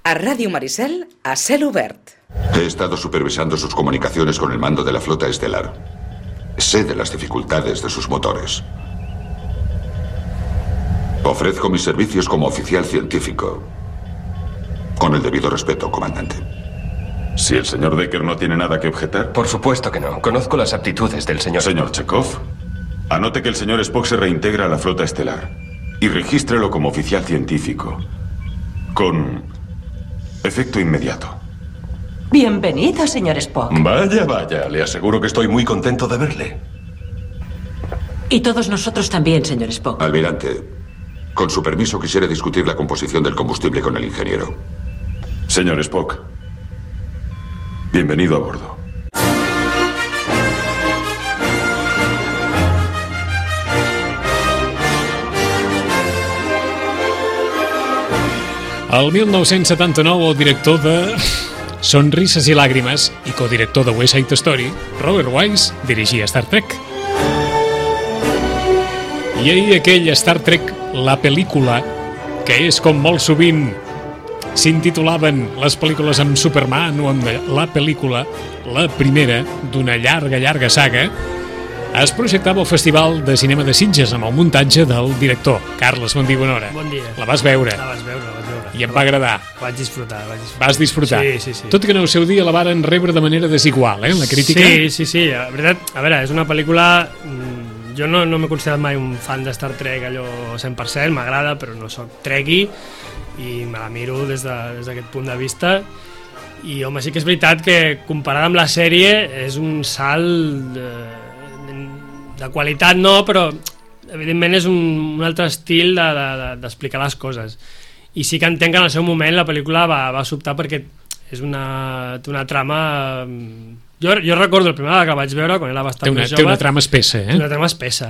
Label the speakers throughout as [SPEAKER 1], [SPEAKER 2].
[SPEAKER 1] A Radio Maricel, a cel obert.
[SPEAKER 2] He estado supervisando sus comunicaciones con el mando de la flota estelar. Sé de las dificultades de sus motores. Ofrezco mis servicios como oficial científico. Con el debido respeto, comandante.
[SPEAKER 3] Si el señor Decker no tiene nada que objetar.
[SPEAKER 4] Por supuesto que no. Conozco las aptitudes del señor.
[SPEAKER 3] Señor Chekhov, anote que el señor Spock se reintegra a la flota estelar y regístrelo como oficial científico. Con efecto inmediato.
[SPEAKER 5] Bienvenido, señor Spock.
[SPEAKER 4] Vaya, vaya. Le aseguro que estoy muy contento de verle.
[SPEAKER 5] Y todos nosotros también, señor Spock.
[SPEAKER 2] Almirante, con su permiso quisiera discutir la composición del combustible con el ingeniero.
[SPEAKER 3] Señor Spock, bienvenido a bordo.
[SPEAKER 6] El 1979, el director de Sonrises i làgrimes i codirector de West Side Story, Robert Wise, dirigia Star Trek. I ahir aquell Star Trek, la pel·lícula, que és com molt sovint s'intitulaven les pel·lícules amb Superman o amb la pel·lícula, la primera d'una llarga saga, es projectava al Festival de Cinema de Sitges amb el muntatge del director. Carles, bon dia, bona hora.
[SPEAKER 7] Bon dia.
[SPEAKER 6] La vas veure?
[SPEAKER 7] La vaig veure.
[SPEAKER 6] I em va agradar.
[SPEAKER 7] Vaig disfrutar.
[SPEAKER 6] Vas disfrutar?
[SPEAKER 7] Sí.
[SPEAKER 6] Tot i que en el seu dia la varen rebre de manera desigual, la crítica?
[SPEAKER 7] Sí. La veritat, a veure, és una pel·lícula... Jo no m'he considerat mai un fan de Star Trek allò 100%, m'agrada, però no soc trekkie i me la miro des d'aquest punt de vista. I, home, sí que és veritat que comparada amb la sèrie és un salt de qualitat, no, però evidentment és un altre estil d'explicar les coses. I sí que entenc que en el seu moment la pel·lícula va sobtar perquè és té una trama... Jo recordo el primer que la vaig veure quan era bastant més jove.
[SPEAKER 6] Té una trama espessa,
[SPEAKER 7] Té una trama espessa,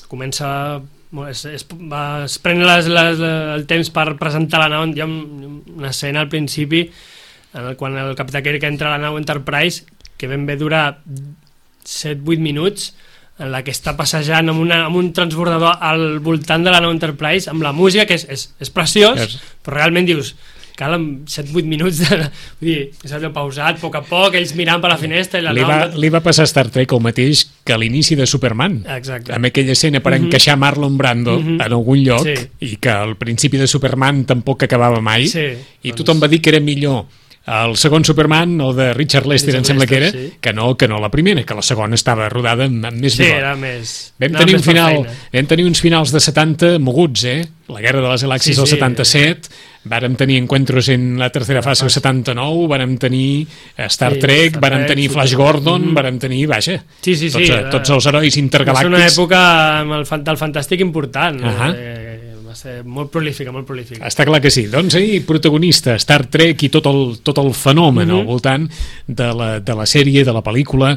[SPEAKER 7] comença... es pren el temps per presentar la nau. Hi ha una escena al principi quan el capità Kirk entra a la nau Enterprise que ben bé dura 7-8 minuts, en la que està passejant amb un transbordador al voltant de la nau Enterprise, amb la música, que és preciós, però realment dius, cal 7-8 minuts vull dir, és allò pausat, a poc, ells mirant per la finestra i la nau...
[SPEAKER 6] Li va passar a Star Trek el mateix que a l'inici de Superman.
[SPEAKER 7] Exacte.
[SPEAKER 6] Amb aquella escena per encaixar Marlon Brando en algun lloc, i que al principi de Superman tampoc acabava mai, i tothom va dir que era millor el segon Superman, o de Richard Lester, em sembla que era, que no la primera, que la segona estava rodada amb més vigor.
[SPEAKER 7] Sí, era més...
[SPEAKER 6] Vam tenir uns finals de 70 moguts, La Guerra de les Galàxies del 77, vàrem tenir Encuentros en la tercera fase del 79, vàrem tenir Star Trek, vàrem tenir Flash Gordon, vàrem tenir, vaja, tots els herois intergalàctics.
[SPEAKER 7] Va ser una època del fantàstic important, va ser molt prolífica.
[SPEAKER 6] Està clar que sí. Doncs ahir, protagonista, Star Trek i tot el fenomen al voltant de la sèrie, de la pel·lícula,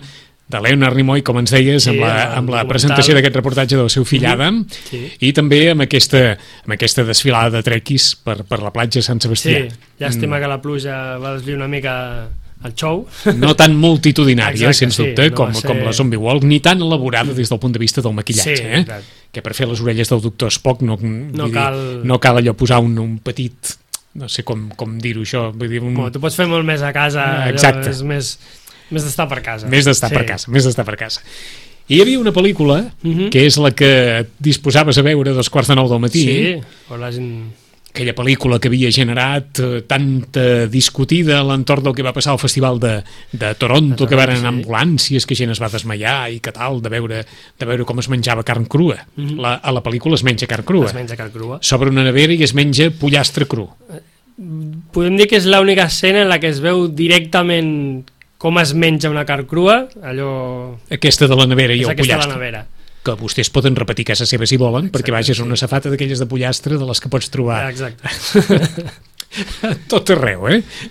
[SPEAKER 6] de Leonard Nimoy, com ens deies, amb la presentació d'aquest reportatge del seu fill Adam, i també amb aquesta desfilada de trequis per la platja de Sant Sebastià.
[SPEAKER 7] Sí, llàstima que la pluja va desviar una mica el show.
[SPEAKER 6] No tan multitudinària, sens dubte, com la Zombie Walk, ni tan elaborada des del punt de vista del maquillatge, que per fer les orelles del doctor Spock no cal allò posar un petit, no sé com dir-ho això, vull dir...
[SPEAKER 7] Tu pots fer molt més a casa,
[SPEAKER 6] exacte.
[SPEAKER 7] És més d'estar per casa.
[SPEAKER 6] Més d'estar per casa. I hi havia una pel·lícula, que és la que disposaves a veure a 8:45 del matí.
[SPEAKER 7] Sí,
[SPEAKER 6] aquella pel·lícula que havia generat tanta discutida a l'entorn del que va passar al Festival de Toronto, que van anar ambulàncies, que gent es va desmaiar i que tal, de veure com es menjava carn crua. A la pel·lícula es menja carn crua. S'obre una nevera i es menja pollastre cru.
[SPEAKER 7] Podem dir que és l'única escena en la que es veu directament com es menja una carn crua, allò...
[SPEAKER 6] Aquesta de la nevera i el pollastre.
[SPEAKER 7] Aquesta de la nevera.
[SPEAKER 6] Que vostès poden repetir casa seva si volen, perquè vaja, és una safata d'aquelles de pollastre de les que pots trobar.
[SPEAKER 7] Exacte.
[SPEAKER 6] A tot arreu,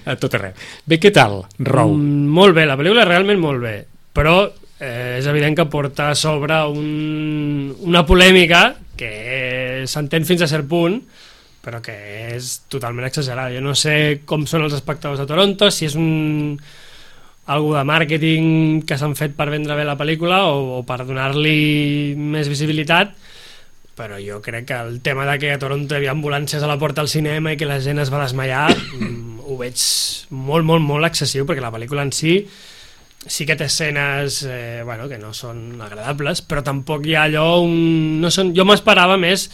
[SPEAKER 6] A tot arreu. Bé, què tal, Rou?
[SPEAKER 7] Molt bé, la pel·lícula realment molt bé, però és evident que porta a sobre una polèmica que s'entén fins a cert punt, però que és totalment exagerada. Jo no sé com són els espectadors de Toronto, si és algo de màrqueting que s'han fet per vendre bé la pel·lícula o per donar-li més visibilitat, però jo crec que el tema de que a Toronto hi havia ambulàncies a la porta del cinema i que la gent es va desmaiar ho veig molt, molt, molt excessiu, perquè la pel·lícula en si que té escenes que no són agradables, però tampoc hi ha allò jo m'esperava més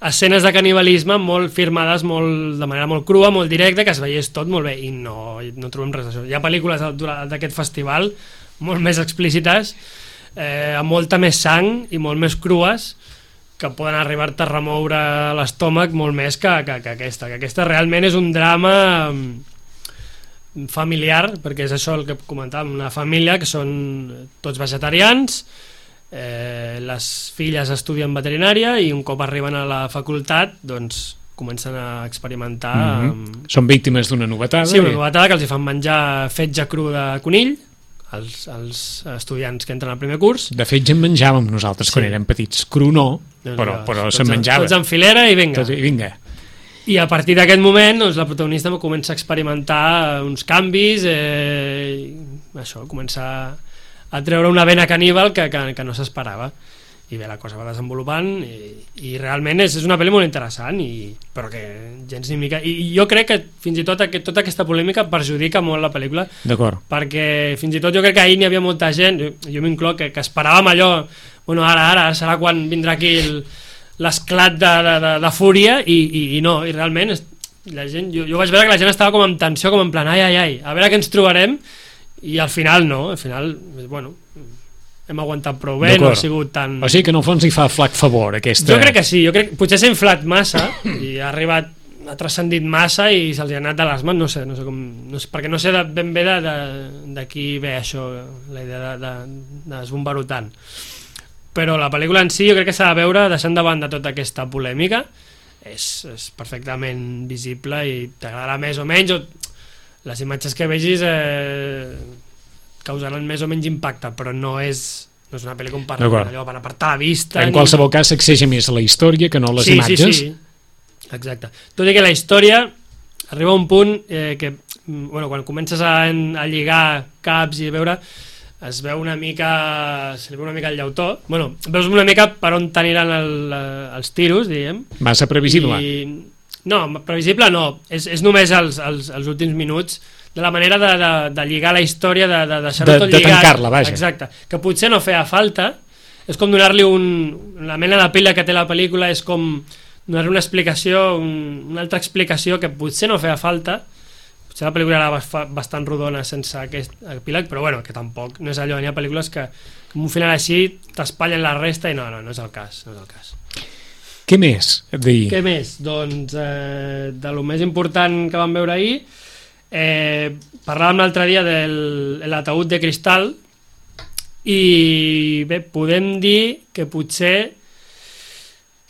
[SPEAKER 7] escenes de canibalisme molt firmades de manera molt crua, molt directa, que es veiés tot molt bé, i no trobem res d'això. Hi ha pel·lícules d'aquest festival molt més explícites, amb molta més sang i molt més crues, que poden arribar-te a remoure l'estómac molt més que aquesta. Que aquesta realment és un drama familiar, perquè és això el que comentàvem, una família que són tots vegetarians, les filles estudien veterinària i un cop arriben a la facultat doncs comencen a experimentar
[SPEAKER 6] Són víctimes d'una novetada.
[SPEAKER 7] Sí, una novetada, que els hi fan menjar fetge cru de conill als estudiants que entren al primer curs.
[SPEAKER 6] De fet, ja en menjàvem nosaltres quan érem petits. Cru no, però se'n menjava.
[SPEAKER 7] Tots en filera i vinga.
[SPEAKER 6] Vinga.
[SPEAKER 7] I a partir d'aquest moment doncs, la protagonista comença a experimentar uns canvis, comença a treure una vena caníbal que no s'esperava. I bé, la cosa va desenvolupant i realment és una pel·li molt interessant, però que gens ni mica... I jo crec que fins i tot tota aquesta polèmica perjudica molt la pel·lícula.
[SPEAKER 6] D'acord.
[SPEAKER 7] Perquè fins i tot jo crec que ahir n'hi havia molta gent, jo m'incloc, que esperàvem allò, ara serà quan vindrà aquí l'esclat de fúria i no, i realment la gent, jo vaig veure que la gent estava com amb tensió, com en plan, ai, a veure què ens trobarem, i al final no, hem aguantat prou bé, no ha sigut tan...
[SPEAKER 6] O sigui que en el fons hi fa flac favor aquesta...
[SPEAKER 7] Jo crec que sí, potser s'ha inflat massa i ha transcendit massa i se'ls ha anat de les mans, no sé com, perquè no sé ben bé de qui ve això, la idea de desbombar-ho tant. Però la pel·lícula en si jo crec que s'ha de veure deixant de banda tota aquesta polèmica, és perfectament visible i t'agradarà més o menys, les imatges que vegis causaran més o menys impacte, però no és una pel·lícula per apartar la vista.
[SPEAKER 6] En qualsevol cas s'exigeix més la història que no les imatges.
[SPEAKER 7] Sí, exacte. Tot i que la història arriba a un punt que quan comences a lligar caps i veure, es veu una mica, se li veu una mica el llautó, veus una mica per on t'aniran els tiros, diguem.
[SPEAKER 6] Massa previsible.
[SPEAKER 7] No, previsible no, és només els últims minuts, de la manera de lligar la història, de deixar-ho tot lligat.
[SPEAKER 6] De tancar-la, vaja.
[SPEAKER 7] Exacte, que potser no feia falta, és com donar-li la mena de pila que té la pel·lícula, és com donar-li una explicació, una altra explicació que potser no feia falta. Potser la pel·lícula era bastant rodona sense aquest epíleg, però que tampoc no és allò, hi ha pel·lícules que amb un final així t'espatllen la resta i no és el cas,
[SPEAKER 6] Què més?
[SPEAKER 7] Què més? Doncs de lo més important que vam veure ahir, parlàvem l'altre dia de l'ataúd de cristal i bé, podem dir que potser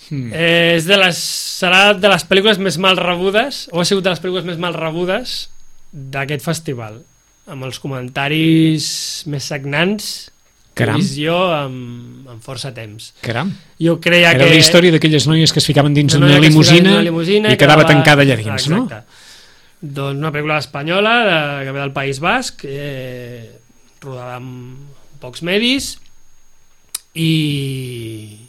[SPEAKER 7] serà de les pel·lícules més mal rebudes, o ha sigut de les pel·lícules més mal rebudes d'aquest festival, amb els comentaris més sagnants que he vist jo amb força temps.
[SPEAKER 6] Caram.
[SPEAKER 7] Jo creia
[SPEAKER 6] era la història d'aquelles noies que es ficaven dins una limusina i quedava tancada allà dins, no?
[SPEAKER 7] Exacte. Doncs una pel·lícula espanyola que ve del País Basc, rodada amb pocs medis, i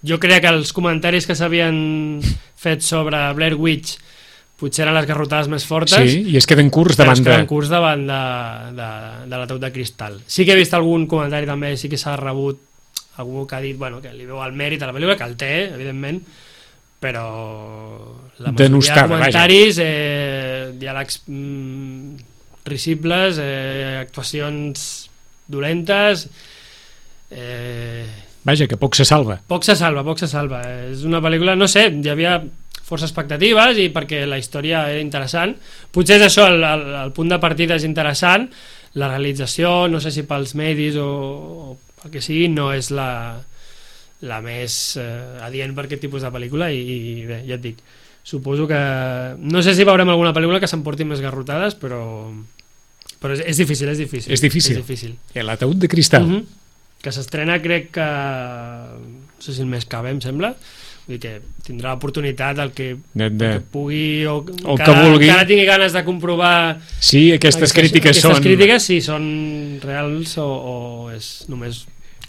[SPEAKER 7] jo creia que els comentaris que s'havien fet sobre Blair Witch potser eren les garrotades més fortes.
[SPEAKER 6] Sí, i es queden curts davant
[SPEAKER 7] de l'ataúd de cristal. Sí que he vist algun comentari també, sí que s'ha rebut algú que ha dit que li veu el mèrit a la pel·lícula, que el té, evidentment, però la majoria de comentaris, diàlegs risibles, actuacions dolentes,
[SPEAKER 6] vaja, que poc se salva.
[SPEAKER 7] Poc se salva. És una pel·lícula, no sé, hi havia força expectatives i perquè la història era interessant. Potser és això, el punt de partida és interessant, la realització, no sé si pels medis o pel que sigui, no és la més adient per aquest tipus de pel·lícula i bé, ja et dic, suposo que no sé si veurem alguna pel·lícula que s'emporti més garrotades, però és difícil.
[SPEAKER 6] És difícil. I l'ataúd de cristal.
[SPEAKER 7] Que s'estrena, crec que no sé si el mes que ve, em sembla, vull dir que tindrà l'oportunitat el que pugui o que vulgui, encara tingui ganes de comprovar
[SPEAKER 6] si aquestes crítiques
[SPEAKER 7] si són reals o és només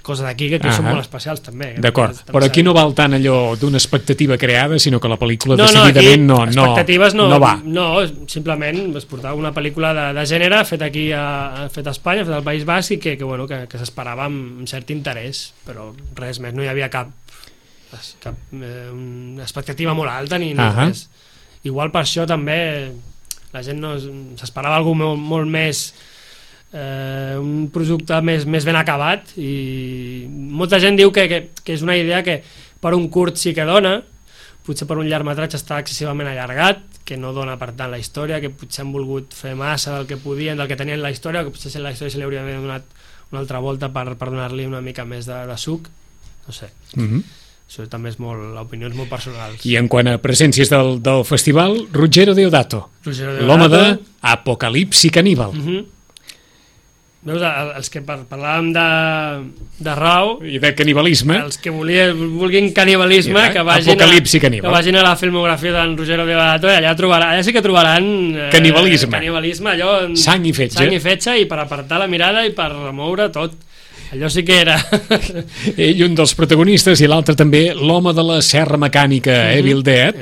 [SPEAKER 7] coses d'aquí que són molt especials també.
[SPEAKER 6] D'acord, però aquí no val tant allò d'una expectativa creada, sinó que la pel·lícula decididament no
[SPEAKER 7] expectatives no
[SPEAKER 6] va.
[SPEAKER 7] No, simplement es portava una pel·lícula de gènere fet aquí fet a Espanya, fet al País Basc, i que s'esperava amb cert interès, però res més, no hi havia cap expectativa molt alta ni res. Igual per això també la gent s'esperava alguna molt més, un producte més ben acabat, i molta gent diu que és una idea que per un curt sí que dona, potser per un llargmetratge està excessivament allargat, que no dona per tant la història, que potser han volgut fer massa del que podien, del que tenien la història, que potser la història se li hauria donat una altra volta per donar-li una mica més de suc, no sé. Això també és l'opinió és molt personal.
[SPEAKER 6] I en quant a presències del festival, Ruggero Deodato, l'home de Apocalipsi Caníbal.
[SPEAKER 7] Veus, els que parlàvem de Rao
[SPEAKER 6] i de canibalisme,
[SPEAKER 7] els que vulguin canibalisme, que vagin a la filmografia d'en Ruggero Deodato, i allà sí que trobaran canibalisme, allò,
[SPEAKER 6] sang i fetge,
[SPEAKER 7] i per apartar la mirada i per remoure tot. Allò sí que era...
[SPEAKER 6] Ell, un dels protagonistes, i l'altre també, l'home de la serra mecànica, Evil Dead,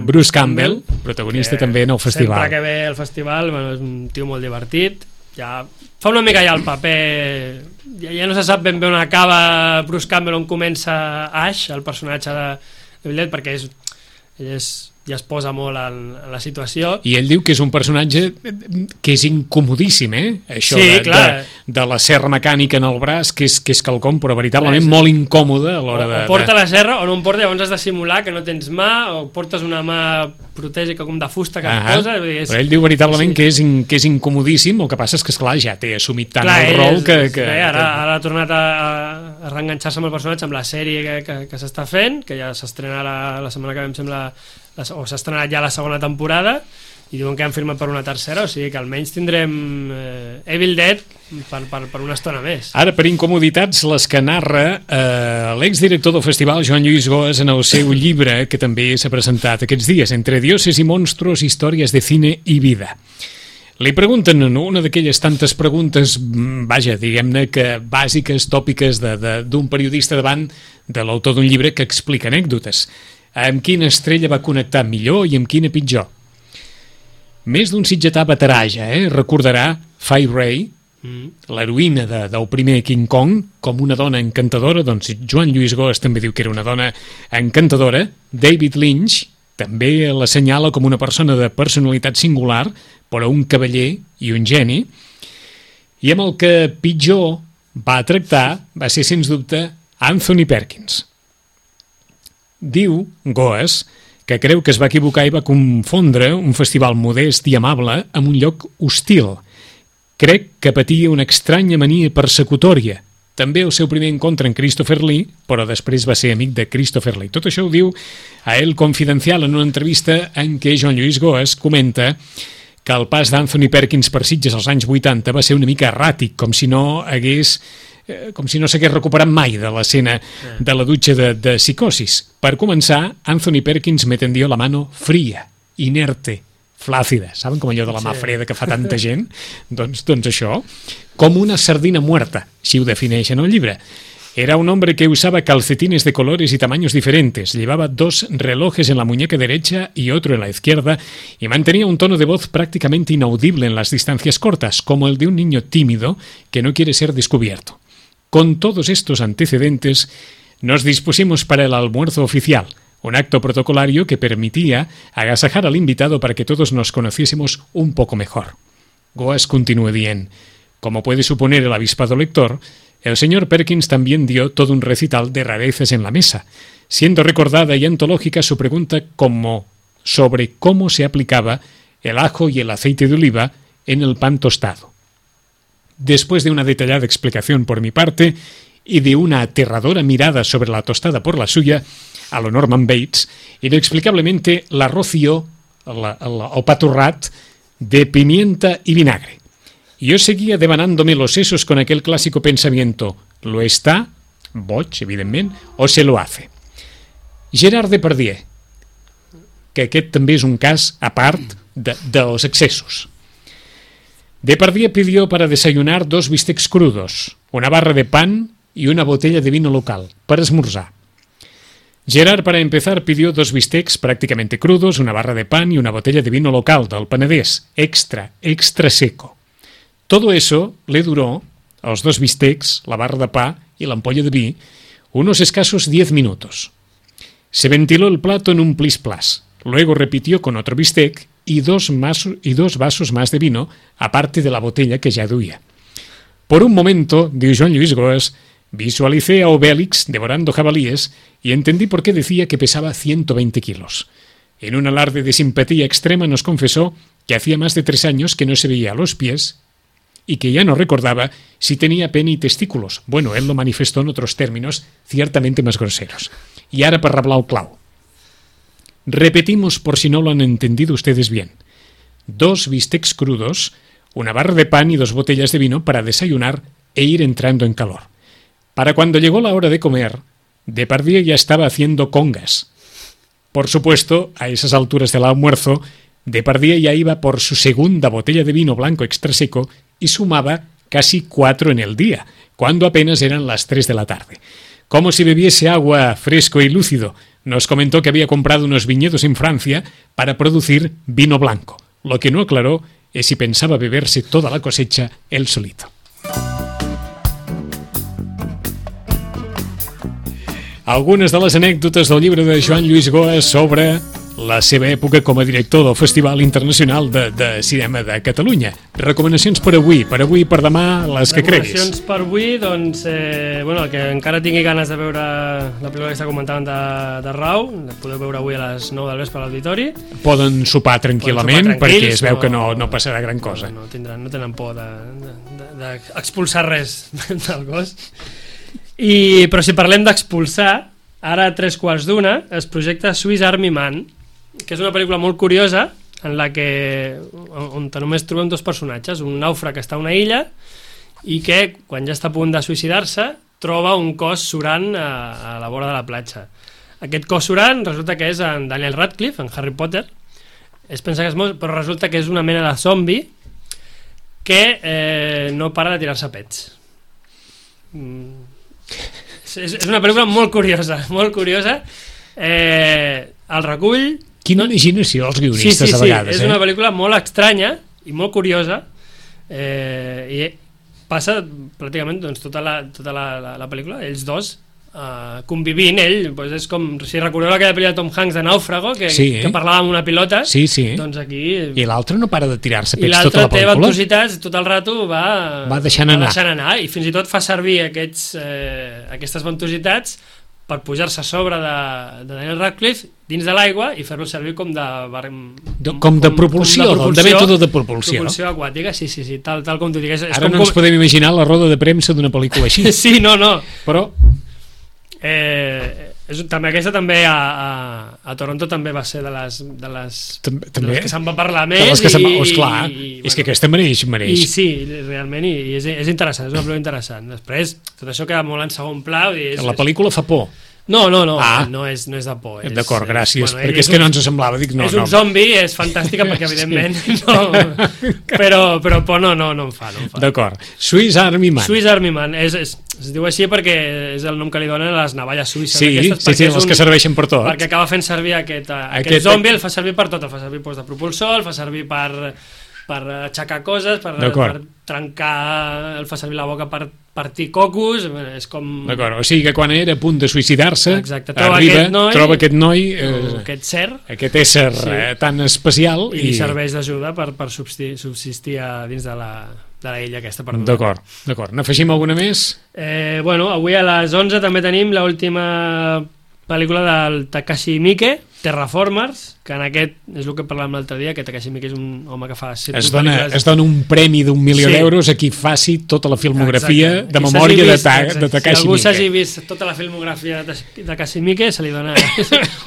[SPEAKER 6] Bruce Campbell, protagonista també en el festival.
[SPEAKER 7] Sempre que ve al festival, és un tio molt divertit, ja fa una mica ja el paper, ja no se sap ben bé on acaba Bruce Campbell, on comença Ash, el personatge de Evil Dead, perquè ell ja es posa molt en la situació.
[SPEAKER 6] I ell diu que és un personatge que és incomodíssim, això de la serra mecànica en el braç, que és quelcom, però veritablement molt incòmode a l'hora de...
[SPEAKER 7] O porta la serra o no en porta, llavors has de simular que no tens mà, o portes una mà protègica com de fusta que et posa...
[SPEAKER 6] Però ell diu veritablement que és incomodíssim, el que passa és que, esclar, ja té assumit tant el rol que...
[SPEAKER 7] Ara ha tornat a reenganxar-se amb el personatge, amb la sèrie que s'està fent, que ja s'estrena la setmana que ve, em sembla, o s'ha estrenat ja la segona temporada, i diuen que han firmat per una tercera, o sigui que almenys tindrem Evil Dead per una estona més.
[SPEAKER 6] Ara, per incomoditats, les que narra l'exdirector del festival, Joan Lluís Goes, en el seu llibre, que també s'ha presentat aquests dies, Entre dioses y monstruos, històries de cine i vida. Li pregunten una d'aquelles tantes preguntes, vaja, diguem-ne que bàsiques, tòpiques d'un periodista davant de l'autor d'un llibre que explica anècdotes. Amb quina estrella va connectar millor i amb quina pitjor? Més d'un sitgetà veterà ja, recordarà Fay Wray, l'heroïna del primer King Kong, com una dona encantadora. Doncs Joan Lluís Goes també diu que era una dona encantadora. David Lynch també l'assenyala com una persona de personalitat singular, però un cavaller i un geni. I amb el que pitjor va tractar va ser, sens dubte, Anthony Perkins. Diu Goes que creu que es va equivocar i va confondre un festival modest i amable amb un lloc hostil. Crec que patia una estranya mania persecutòria. També el seu primer encontre amb Christopher Lee, però després va ser amic de Christopher Lee. Tot això ho diu a El Confidencial en una entrevista en què Joan Lluís Goes comenta que el pas d'Anthony Perkins per Sitges als anys 80 va ser una mica erràtic, com si no s'hagués recuperat mai de l'escena de la dutxa de psicosis. Per començar, Anthony Perkins me tendió la mano fría, inerte, flácida. Saben com allò de la mà freda que fa tanta gent? Doncs això, com una sardina muerta, així ho defineix en el llibre. Era un hombre que usaba calcetines de colores y tamaños diferentes, llevaba 2 relojes en la muñeca derecha y otro en la izquierda, y mantenía un tono de voz prácticamente inaudible en las distancias cortas, como el de un niño tímido que no quiere ser descubierto. Con todos estos antecedentes, nos dispusimos para el almuerzo oficial, un acto protocolario que permitía agasajar al invitado para que todos nos conociésemos un poco mejor. Goes continúa dient: como puede suponer el avispado lector, el señor Perkins también dio todo un recital de rarezas en la mesa, siendo recordada y antológica su pregunta sobre cómo se aplicaba el ajo y el aceite de oliva en el pan tostado. Después de una detallada explicación por mi parte y de una aterradora mirada sobre la tostada por la suya, a lo Norman Bates, inexplicablemente la roció, el paturrat, de pimienta y vinagre. Yo seguía devanándome los sesos con aquel clásico pensamiento: ¿lo está? Boig, evidentment, o se lo hace. Gerard Depardieu, que aquest també és un cas a part dels excessos. Depardieu pidió para desayunar 2 bistecs crudos, una barra de pan y una botella de vino local para esmorzar. Gerard, para empezar, pidió 2 bistecs prácticamente crudos, una barra de pan y una botella de vino local del Penedés, extra seco. Todo eso le duró, los 2 bistecs, la barra de pa y la ampolla de vi, unos escasos 10 minutos. Se ventiló el plato en un plis-plas. Luego repitió con otro bistec y 2 vasos más de vino, aparte de la botella que ya duía. Por un momento, dijo Joan Lluís Goes, visualicé a Obélix devorando jabalíes y entendí por qué decía que pesaba 120 kilos. En un alarde de simpatía extrema nos confesó que hacía más de 3 años que no se veía a los pies y que ya no recordaba si tenía pene y testículos. Bueno, él lo manifestó en otros términos ciertamente más groseros. Y ahora para reblar el clau. Repetimos por si no lo han entendido ustedes bien. 2 bistecs crudos, una barra de pan y 2 botellas de vino para desayunar e ir entrando en calor. Para cuando llegó la hora de comer, Depardieu ya estaba haciendo congas. Por supuesto, a esas alturas del almuerzo, Depardieu ya iba por su segunda botella de vino blanco extra seco y sumaba casi 4 en el día, cuando apenas eran las 3 de la tarde. Como si bebiese agua fresco y lúcido, nos comentó que había comprado unos viñedos en Francia para producir vino blanco. Lo que no aclaró es si pensaba beberse toda la cosecha él solito. Algunes de les anècdotes del llibre de Joan Lluís Goes sobre la seva època com a director del Festival Internacional de Cinema de Catalunya. Recomanacions per avui, per demà, les que creguis.
[SPEAKER 7] Recomanacions per avui, doncs, el que encara tingui ganes de veure la pel·lícula que està comentant de Rau, la podeu veure avui a les 9 del vespre a l'auditori.
[SPEAKER 6] Poden sopar tranquil·lament, perquè es veu que no passarà gran cosa.
[SPEAKER 7] No tenen por d'expulsar res del gos. Però si parlem d'expulsar, ara a 3:15 es projecta Swiss Army Man, que és una pel·lícula molt curiosa en la que on només trobem 2 personatges, un nàufrag que està a una illa i que quan ja està a punt de suïcidar-se troba un cos surant a la vora de la platja. Aquest cos surant resulta que és en Daniel Radcliffe, en Harry Potter. Es pensa que és molt, però resulta que és una mena de zombi que no para de tirar-se pets. És una pel·lícula molt curiosa, molt curiosa. El recull...
[SPEAKER 6] Quina imaginació els guionistes a vegades.
[SPEAKER 7] És una pel·lícula molt estranya i molt curiosa, i passa pràcticament tota la pel·lícula, ells dos convivint. Ell és com, si recordeu aquella pel·lícula de Tom Hanks de Nàufrago, que parlava amb una pilota, doncs aquí...
[SPEAKER 6] I l'altre no para de tirar-se pets tota la pel·lícula.
[SPEAKER 7] I l'altre té ventositats, tot el rato va deixant anar, i fins i tot fa servir aquestes ventositats per pujar-se a sobre de Daniel Radcliffe dins de l'aigua i fer-lo servir com de propulsió, de mètode de propulsió aquàtica, sí, tal com t'ho digues.
[SPEAKER 6] Ara no ens podem imaginar la roda de premsa d'una pel·lícula així.
[SPEAKER 7] Sí, no.
[SPEAKER 6] Però...
[SPEAKER 7] aquesta també a Toronto també va ser de les que se'n va parlar més,
[SPEAKER 6] clar, és que aquesta mereix
[SPEAKER 7] i sí, realment, i és interessant, és una pel·lícula interessant. Després tot això queda molt en segon pla.
[SPEAKER 6] La pel·lícula fa por.
[SPEAKER 7] No és de por.
[SPEAKER 6] D'acord, gràcies, perquè és que no ens semblava.
[SPEAKER 7] És un zombi, és fantàstica perquè evidentment però por no em fa.
[SPEAKER 6] D'acord, Swiss Army
[SPEAKER 7] Man es diu així perquè és el nom que li donen a les navalles suïsses.
[SPEAKER 6] Sí, les que serveixen per tot.
[SPEAKER 7] Perquè acaba fent servir aquest zombi, el fa servir per tot, el fa servir de propulsor, el fa servir per aixecar coses, per trencar, el fa servir la boca per partir cocos, és com...
[SPEAKER 6] D'acord, o sigui que quan era a punt de suïcidar-se,
[SPEAKER 7] arriba,
[SPEAKER 6] troba aquest noi, aquest ésser tan especial,
[SPEAKER 7] i li serveix d'ajuda per subsistir dins de la illa aquesta perduda.
[SPEAKER 6] D'acord. N'afegim alguna més?
[SPEAKER 7] Avui a les 11 també tenim l'última pel·lícula del Takashi Miike, Terraformers, que en aquest és el que parlàvem l'altre dia, que Takashi Miike és un home que fa...
[SPEAKER 6] Es dona un premi d'1 milió d'euros a qui faci tota la filmografia de memòria de Takashi Miike.
[SPEAKER 7] Si algú s'hagi vist tota la filmografia de Takashi Miike, se li dona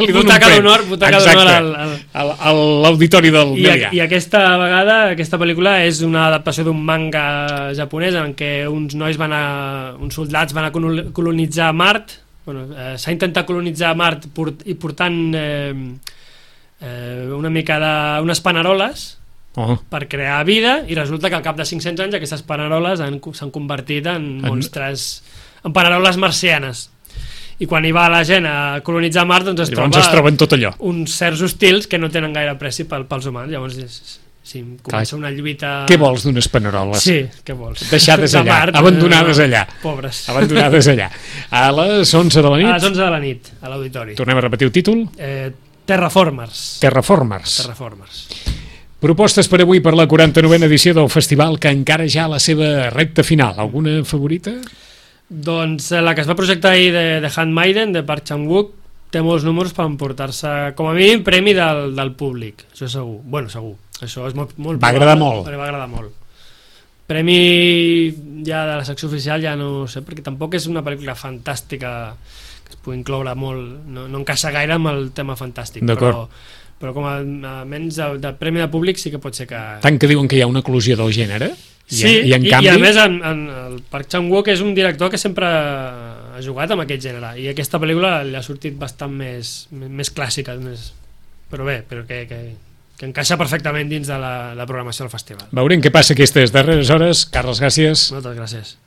[SPEAKER 7] butaca d'honor
[SPEAKER 6] a l'auditori del Melià.
[SPEAKER 7] I aquesta vegada, aquesta pel·lícula és una adaptació d'un manga japonès en què uns soldats van a colonitzar Mart. S'ha intentat colonitzar Mart i portant una mica d'unes paneroles per crear vida, i resulta que al cap de 500 anys aquestes paneroles s'han convertit en monstres en paraules marcianes. I quan hi va la gent a colonitzar Mart, doncs
[SPEAKER 6] es troben tot allò.
[SPEAKER 7] Uns certs hostils que no tenen gaire pressi pels humans. Llavors comença una lluita...
[SPEAKER 6] Què vols d'unes paneroles?
[SPEAKER 7] Sí, què vols?
[SPEAKER 6] Deixades allà, abandonades allà.
[SPEAKER 7] Pobres.
[SPEAKER 6] Abandonades allà. A les 11 de la nit?
[SPEAKER 7] A les 11 de la nit, a l'auditori.
[SPEAKER 6] Tornem a repetir el títol?
[SPEAKER 7] Terraformers.
[SPEAKER 6] Terraformers. Propostes per avui per la 49a edició del festival, que encara ja a la seva recta final. Alguna favorita?
[SPEAKER 7] Doncs la que es va projectar ahir de Handmaiden, de Park Chan-wook, té molts números per emportar-se, com a mínim, premi del públic. Això és segur. Bueno, segur. Això és molt
[SPEAKER 6] va agradar molt.
[SPEAKER 7] Va agradar molt. Premi ja de la secció oficial ja no sé, perquè tampoc és una pel·lícula fantàstica que es pugui incloure molt, no encaixa gaire amb el tema fantàstic, però com a menys de premi de públic sí que pot ser que...
[SPEAKER 6] Tant que diuen que hi ha una eclosió del gènere.
[SPEAKER 7] Sí, i a més el Park Chan-wook és un director que sempre ha jugat amb aquest gènere, i aquesta pel·lícula li ha sortit bastant més clàssica, però bé, que encaixa perfectament dins de la programació del festival.
[SPEAKER 6] Veurem què passa aquestes darreres hores. Carles, gràcies.
[SPEAKER 7] Moltes gràcies.